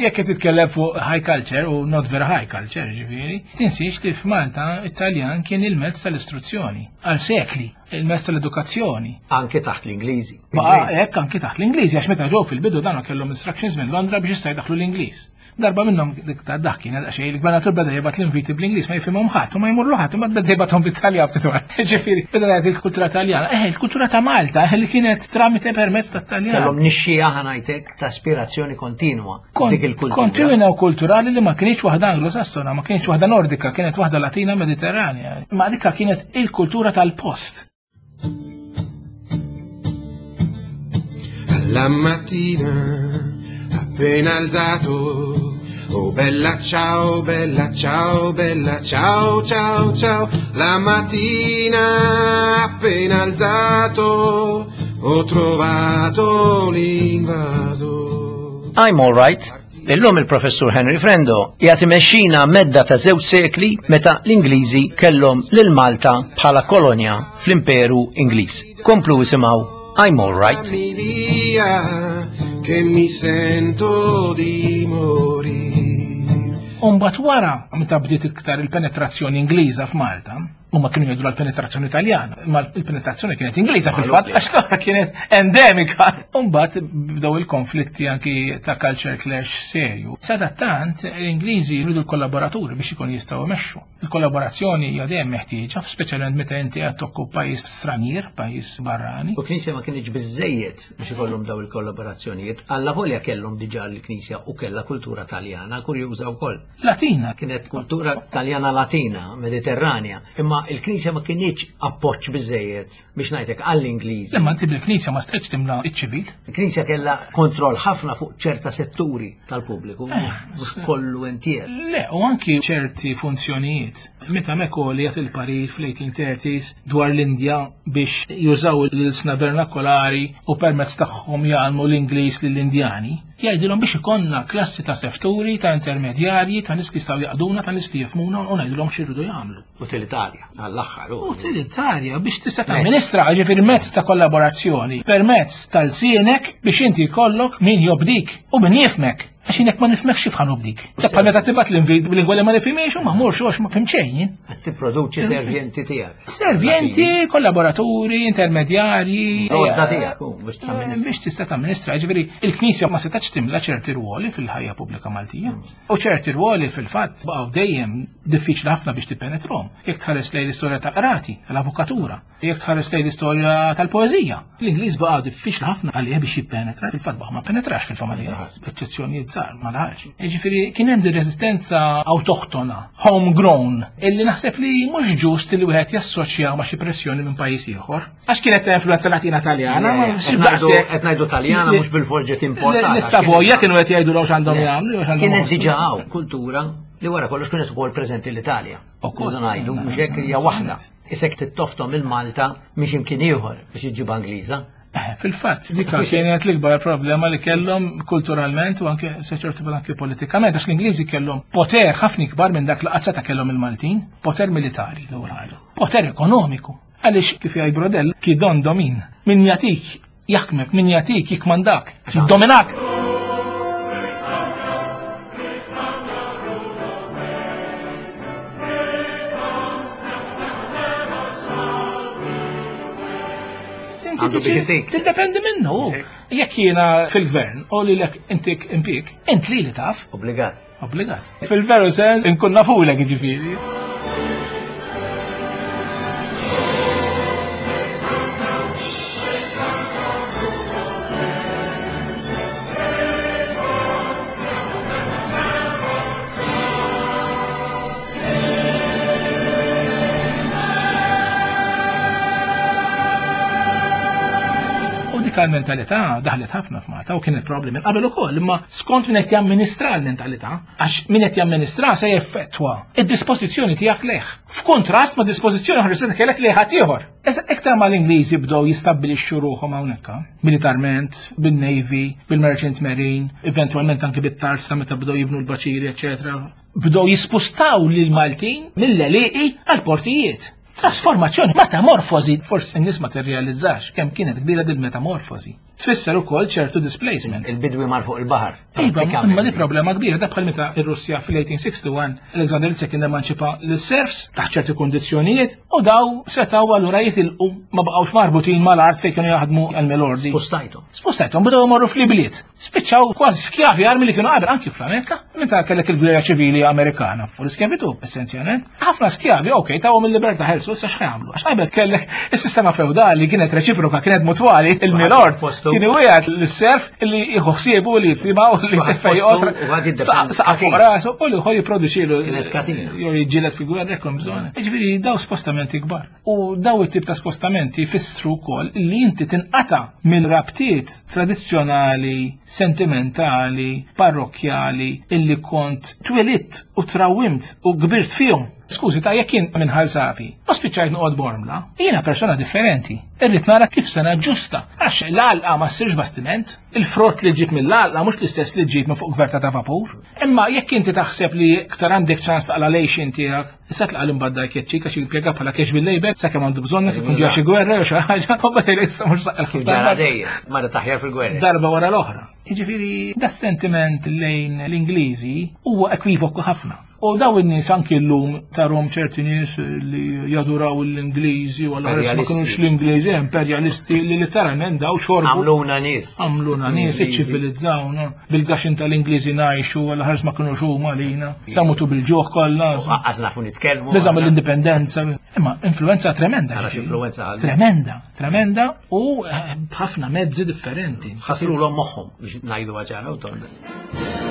Jekk qed titkellem fuq high culture u not very high culture, ġifieri, tinsiex li f'Malta it-Taljan kien il-mezz tal-istruzzjoni għal sekli, il-mezz tal-edukazzjoni. Anke taħt l-Ingliżi. Baqa' hekk anke taħt l-Ingliżi għax meta ġew fil-bidu dan kellhom instructions minn Londra biex issa jdaħħlu l-Ingliż. Darba minnhom dik ta' dak kien xejn il-gvernatur beda jibgħat l-inviti bl-Ingliż ma jifhimhom ħadd u ma jmurlu ħadd imma beda jibgħathom bit-Taljan ftit wara. Ġifieri, beda jgħid il-kultura Taljana. Eh, il-kultura ta' Malta eh, li kienet tramite permezz tat-Taljan. Kellhom nixxija ħanajtek ta' aspirazzjoni kontinwa dik il-kultura. Kontinwa u kulturali li ma kienx waħda Anglosassona, ma kienx waħda Nordika, kienet waħda Latina Mediterranja. Ma dikka kienet il-kultura tal-post. La mattina, appena alzato, oh bella ciao, bella ciao, bella ciao, ciao, ciao. La mattina, appena alzato, ho trovato l'invaso. I'm all right. Illum il-professur Henry Frendo jagħti mexxina medda ta' żewġ sekli meta l-Ingliżi kellhom lil Malta bħala kolonja fl-Imperu Ingliż. Komplu isimgħu I'm all right. Fammi via, che mi sento di morire. Umbat wara, meta bdiet iktar il-penetrazzjoni Ingliża f'Malta, huma kienu jgħidu l-penetrazzjoni Taljana, imma il-penetrazzjoni kienet Ingliża fil-fatt għax l-oħra kienet endemika. Umbat bdew il-konflitti anki ta' culture clash serju. Sadattant l-Ingliżi jridu l-kollaboraturi biex ikun jistgħu jmexxu. Il-kollaborazzjoni hija dejjem meħtieġa, speċjalment meta inti qed tokku pajjiż stranier, pajjiż barrani. U knisja ma kienx biżejjed biex ikollhom daw il-kollaborazzjonijiet, alla volja kellhom diġà l-knisja u kellha kultura Taljana kurjuża wkoll. Latina. Kienet kultura Taljana Latina, Mediterranja, imma Imma il-Knisja ma kinitx appoġġ biżejjed biex ngħidlek għall-Ingliżi. Imma inti bil-Knisja ma stajtx timla iċ-ċivil. Il-Knisja kellha kontroll ħafna fuq ċerta setturi tal-pubbliku, eh, mhux kollu entier. Le, u anki ċerti funzjonijiet. Meta Mekoli jagħti il-parir fl-1830s dwar l-Indja biex jużaw l-ilsna vernakolari u permezz tagħhom jgħallmu l-Ingliż lill-Indjani, Jgħidilhom biex ikollna klassi ta' sefturi, ta' intermedjarji, ta' nies li jistgħu jaqduna, ta' nies li jifhmuna u ngħidulhom x'iridu jagħmlu. Utilitarja, għall-aħħar. Utilitarja biex tista' tamministra, ġifieri mezz ta' kollaborazzjoni, permezz tal-sienek biex inti jkollok min jobdik u min jifmek. Għax jien ma nifhmekx kif ħa nobdik. Bħal meta tibgħat l-invit bil-lingwa li ma nifhimiex u ma mmurx għax ma fhimt xejn jien. Qed tipproduċi servjenti tiegħek. Servjenti, kollaboraturi, intermedjarji. Għodda tiegħek, biex tamministra. Biex tista' tamministra, ġifieri il-Knisja ma setax timla ċerti rwoli fil-ħajja pubblika Maltija. U ċerti rwoli fil-fatt baqgħu dejjem diffiċli ħafna biex tippenetrom. Jekk tħares lejn l-istorja tal-qrati, tal-avukatura, jekk tħares lejn l-istorja tal-poeżija. L-Ingliż baqa' diffiċli ħafna għalih biex jippenetra, fil-fatt baqa' ma penetrax fil-familja, b'eċċezzjonijiet żgħar ma laħax. Jiġifieri kien hemm din reżistenza awtoħtona, homegrown, illi naħseb li mhux ġust li wieħed jassoċja ma' xi pressjoni minn pajjiż ieħor. Għax kienet ta' influenza Latina Taljana, ma qed ngħidu Taljana mhux bil-forġi importata. L-Savoja kienu qed jgħidu x'għandhom jagħmlu. Kienet diġà hawn kultura li wara kollox kienet ukoll preżenti l-Italja. Ukoll ngħidu mhux hekk hija waħda. Isek tittoftom il-Malta mhix imkien ieħor biex iġġib Angliża. Eh, fil-fatt, dik kienet l-ikbar problema li kellhom kulturalment u anke se ċertu anke politikament, għax l-Ingliżi kellhom poter ħafna ikbar minn dak li qatt kellhom il-Maltin, poter militari l-ewwel ħaġa, poter ekonomiku. Għaliex kif jgħid Brodell, ki don domin, min jagħtik jaħkmek, min jagħtik jikmandak, jiddominak. Tiddependi minnu. Jekk jiena fil-gvern u li lek intik impik, int li li taf. Obbligat. Obbligat. Fil-veru sens, inkun nafulek ġifieri. U dik mentalità daħlet ħafna f'Malta u kienet problemi minn qabel ukoll, imma skont min qed jamministra l-mentalità, għax min qed jamministra se jeffettwa id-dispożizzjoni tiegħek lejh. F'kuntrast ma' dispożizzjoni oħra se kellek lejh ħadd ieħor. Issa iktar ma l-Ingliżi bdew jistabbilixxu ruħhom hawnhekk, militarment, bin-Navy, bil-Merchant Marine, eventwalment anke bit-tarsa meta bdew jibnu l-baċiri, eċetera. Bdew jispustaw lil Maltin mill-għelieqi għall-portijiet. Trasformazzjoni, metamorfosi, forsi n-nies ma tirrealizzax kemm kienet kbira din metamorfosi. Tfisser ukoll ċertu displacement. Il-bidwi mar fuq il-baħar. Iva, imma di problema kbira, da bħal meta ir-Russja fil-1861 Alexander II emanċipa l-serfs taħt ċerti kundizzjonijiet u daw setaw allura jitilqu ma baqgħux marbutin mal-art fejn kienu jaħdmu għal-melordi. Spustajthom. Spustajthom, bdew imorru fl-ibliet. Spiċċaw kważi skjavi armi li kienu qabel anki fl-Amerika, meta kellek il-gwerra ċivili Amerikana fuq l-iskjavitu essenzjalment. Ħafna skjavi, ok, tawhom il-libertà ħelsu issa x'jagħmlu. Għax qabel kellek is-sistema feudali kienet reċiproka, kienet mutwali, il-milord kien iwiegħed lis-serf li jieħu ħsiebu li jitimgħu li tefej otra. Saqaf fuq rasu u li ieħor jipproduċilu. Kienet katina. Jew jiġġieled fi gwerra jekk bżonn. Jiġifieri daw spostamenti kbar. U daw it-tip ta' spostamenti jfissru wkoll li inti tinqata' minn rabtiet tradizzjonali, sentimentali, parrokkjali illi kont twelidt u trawwimt u kbirt fihom. Skużi ta' jekk jien minn Ħal Safi u spiċċajt noqgħod Bormla, jiena persona differenti. Irrid nara kif se naġġusta għax l-għalqa ma ssirx bastiment, il-frott li ġġib mill-għalqa mhux l-istess li ġġib minn fuq gverta ta' vapur. Imma jekk inti taħseb li iktar għandek ċans taqla' l-għixien tiegħek Issa tlaqa' l-imbagħad dak jekk għax jimpjega bħala cash bil-label sakemm għandu bżonnek ikun ġew xi gwerra jew xi ħaġa, u mbagħad jgħidlek issa mhux saqqa l-ħsara. dejjem, mara taħjar fil-gwerra. Darba wara l-oħra. Jiġifieri da sentiment lejn l-Ingliżi huwa ekwivoku ħafna. U daw in-nies anki llum tarhom ċerti nies li jaduraw l-Ingliżi u allura ma kinux l-Ingliżi imperjalisti li letteralment daw xorbu. Għamluna nies. Għamluna nies, iċċivilizzawna. Bil-gaxin tal-Ingliżi ngħixu għal ħares ma kinux huma lina. Samutu bil-ġuħ kollha. Aqqas nafu nitkellmu. Biża mill-indipendenza. Imma influenza tremenda. Influenza Tremenda, tremenda u eh, b'ħafna mezzi differenti. Ħaslulhom moħħhom biex ngħidu ċara u tonda.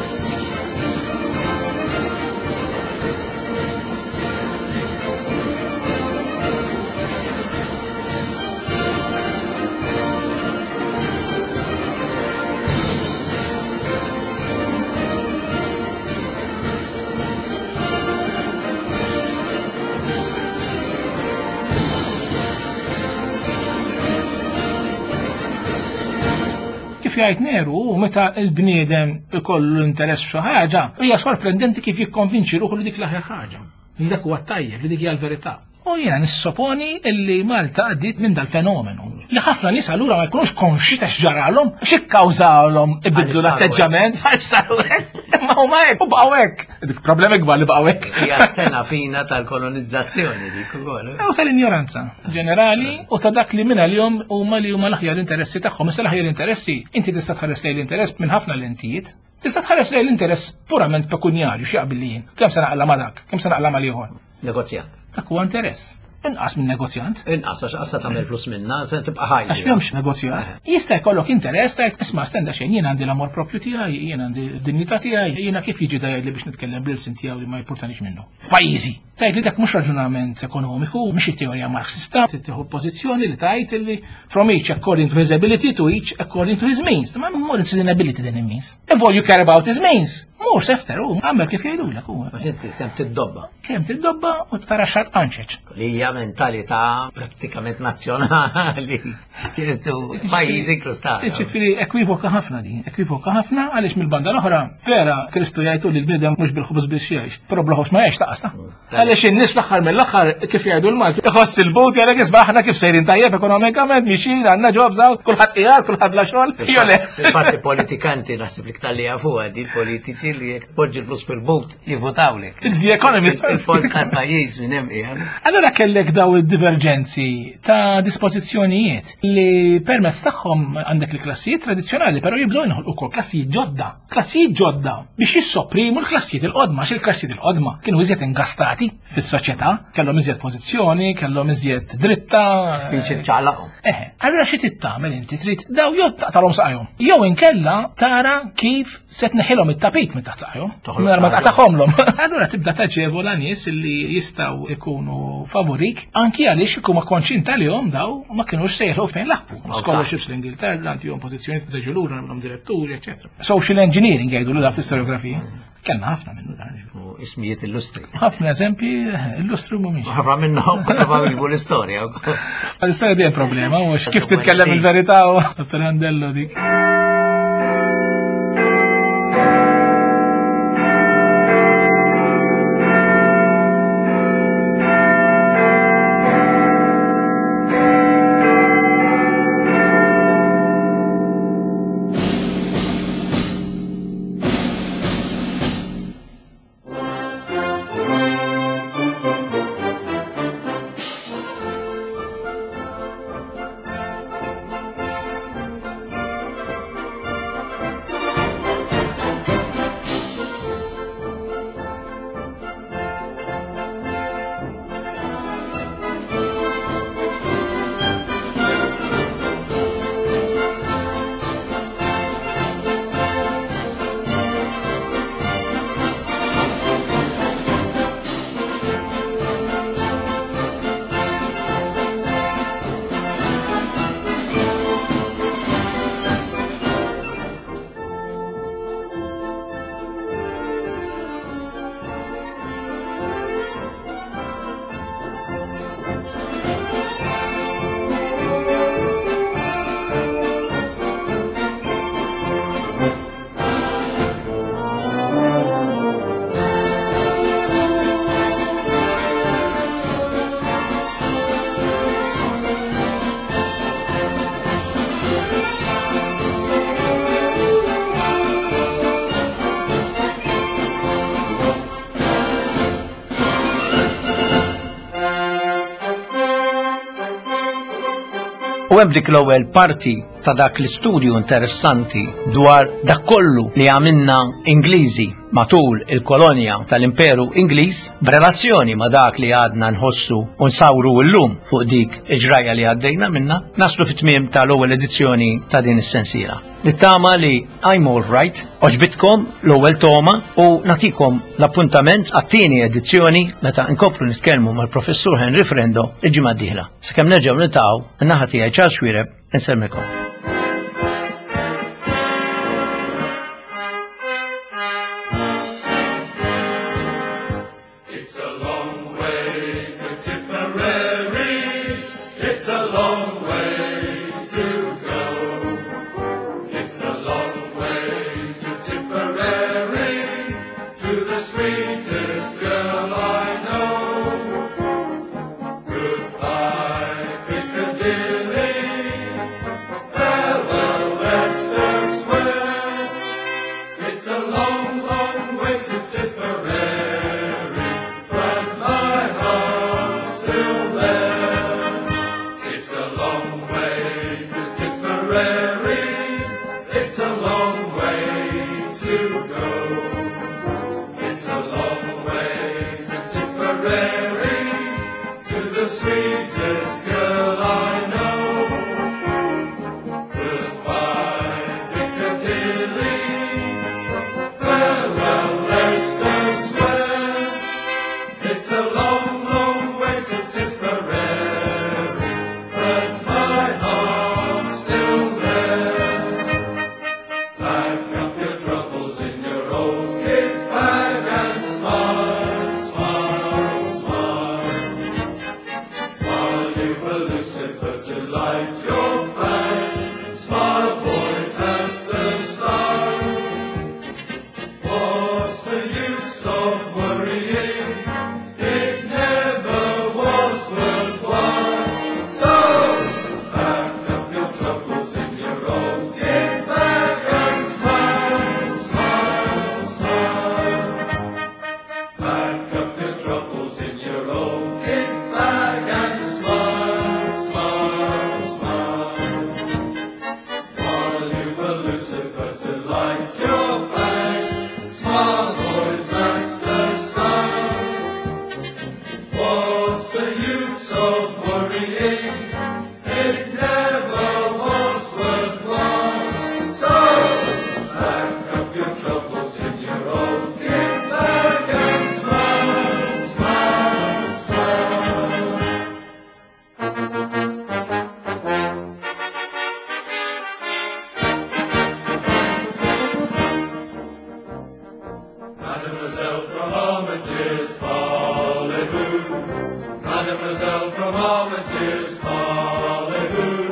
Kif jgħid Neru, meta l-bniedem ikollu interess f'xi ħaġa, hija sorprendenti kif jikkonvinċi ruħu li dik l-aħjar ħaġa. Li dak huwa tajjeb, li dik hija l-verità. U jiena nissoponi illi Malta għaddiet minn dal-fenomenu. Li ħafna nies allura ma jkunux konxi ta' x'ġaralhom, x'ikkawżalhom ibidlu l-atteġġament, għax saru hekk. Imma huma hekk u baqgħu hekk. Dik problemi kbar li baqgħu hekk. Hija sena fina tal-kolonizzazzjoni dik ukoll. U tal-injoranza ġenerali u ta' dak li minn għalihom huma li huma l-aħjar interessi tagħhom. Issa l-aħjar interessi, inti tista' tħares lejn l-interess minn ħafna lentijiet. Tista' tħares lejn l-interess purament pekunjarju x'jaqbil li jien. Kemm se naqla ma' dak, kemm se naqla ma' ieħor. Negozjant. Dak huwa interess. Inqas minn negozjant. Inqas għax qassa tagħmel flus minna, se tibqa' ħajja. Għax m'hemmx negozjant. Eh. Jista' jkollok interess tgħid isma' stenda xejn jien għandi l-amor propju tiegħi, jien għandi d-dinjità tiegħi, jiena kif jiġi da jgħidli biex nitkellem bil-sin tiegħu li ma jippurtanix minnu. F'pajjiżi. Tgħid li dak mhux raġunament ekonomiku, mhix it-teorija Marxista, tieħu pożizzjoni li tgħid li from each according to his ability to each according to his means. Ma more it's his ability than means. If all you care about is means, mur sefter u għamel kif jgħidulek u. Għax inti kemm tiddobba. Kemm tiddobba u tara xat qanċeċ. Li hija mentalità prattikament nazzjonali ċertu pajjiżi krustali. Ġifieri ekwivoka ħafna din, ekwivoka ħafna għaliex mill-banda l-oħra vera Kristu jgħidu li l-bniedem mhux bil-ħobż biex jgħix, però bla ħobż ma jgħix taqas ta'. Għaliex in-nies fl-aħħar mill-aħħar kif jgħidu l-Malti, iħoss il-but jgħalek isma' aħna kif sejrin tajjeb ekonomikament mixin għandna ġobs hawn, kulħadd qiegħed, kulħadd bla xogħol. Jew le. Infatti politikanti naħseb li ktar li jafuha di l-politiċi li jekk tpoġġi l-flus fil-but jivvotawlek. It's the economist. Il-fons tal-pajjiż minn hemm qiegħed. Allura kellek daw id-diverġenzi ta' dispożizzjonijiet li permezz tagħhom għandek il-klassijiet tradizzjonali, però jibdew jinħolqu wkoll klassijiet ġodda. Klassijiet ġodda biex jissopprimu l-klassijiet il-qodma, għax il-klassijiet il-qodma kienu iżjed ingastati fis-soċjetà, kellhom iżjed pożizzjoni, kellhom iżjed dritta. Diffiċli ċaqlaqhom. Eh, allura xi trid tagħmel inti trid daw jew taqtalhom saqajhom, jew inkella tara kif se tneħħilhom it-tapit minn taħt saqajhom. Mingħajr ma taqtagħhomlhom. Allura tibda taġevola nies li jistgħu jkunu favorik anki għaliex ikun ma konxin tal-jom daw ma kinux sejħu fejn laħqu. Scholarships l-Ingilterra, għandihom pożizzjonijiet meta ġu lura nagħmlhom diretturi, eċetera. Social engineering jgħidu l fl-istoriografija. Kellna ħafna minnu dan. U ismijiet illustri. Ħafna eżempji illustri mhumiex. Ħafna minnhom ma jibu l-istorja. L-istorja dejjem problema, mhux kif titkellem il-verità u Pirandello dik. U hemm dik l-ewwel parti ta' dak l-istudju interessanti dwar dak kollu li għamilna Ingliżi matul il-kolonja tal-Imperu Ingliż b'relazzjoni ma' dak li għadna nħossu u nsawru llum fuq dik il-ġrajja li għaddejna minna, naslu fit-tmiem tal-ewwel edizzjoni ta' din is-sensiela. Nittama li I'm All Right oġbitkom l-ewwel toma u natikom l-appuntament għat-tieni edizzjoni meta nkomplu nitkellmu mal-Professur Henry Frendo il-ġimgħa d-dieħla. Sakemm nerġgħu niltaqgħu, in-naħa tiegħi Charles Xuereb insellmilkom. It's a long way to Tipperary, it's a long way to go. It's a It's a long, long way to Tipperary, but my heart's still there. Pack up your troubles in your old kit bag and smile, smile, smile. While you've a Lucifer to light your fag, smile, boys, that's the style. What's the use of worrying? It never was worthwhile. So pack up your troubles in your old kit bag and smile, smile, smile. Pack up your troubles in your old kit bag and smile, smile, smile. While you've a Lucifer to light your fag, smile, boys, that's the style. What's the use of worrying? It never was worthwhile. So pack up your troubles in your old kit bag and smile, smile, smile. Mademoiselle from Armitage, parlez-vous? Mademoiselle from Armitage, parlez-vous?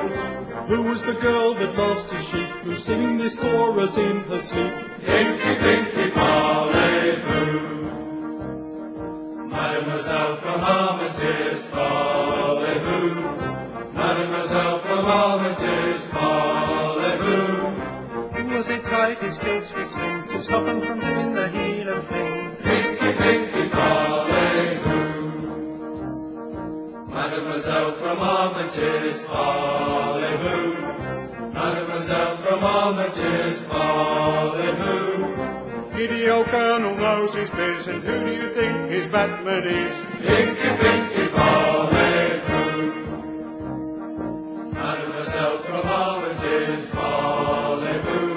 Who was the girl that lost her sheep, who's singing this chorus in her sleep? Inky Pinky, parlez-vous? Mademoiselle from Armitage, parlez-vous? Mademoiselle from Armitage, parlez-vous? Who was it tied his kilt with string to stop him from doing the heel and fling? Pinky, Pinky, parlez-vous? Mademoiselle from Armitage, parlez-vous? Mademoiselle from Armitage, parlez-vous? Giddy old colonel knows his biz, and who do you think his batman is? Inky, Pinky, parlez-vous? Mademoiselle from Armitage, parlez-vous?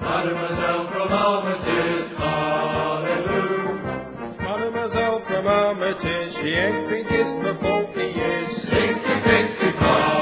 Mademoiselle from Armitage, parlez-vous? Mademoiselle from Armitage, she ain't been kissed for 40 years. Inky, Pinky, parlez-vous?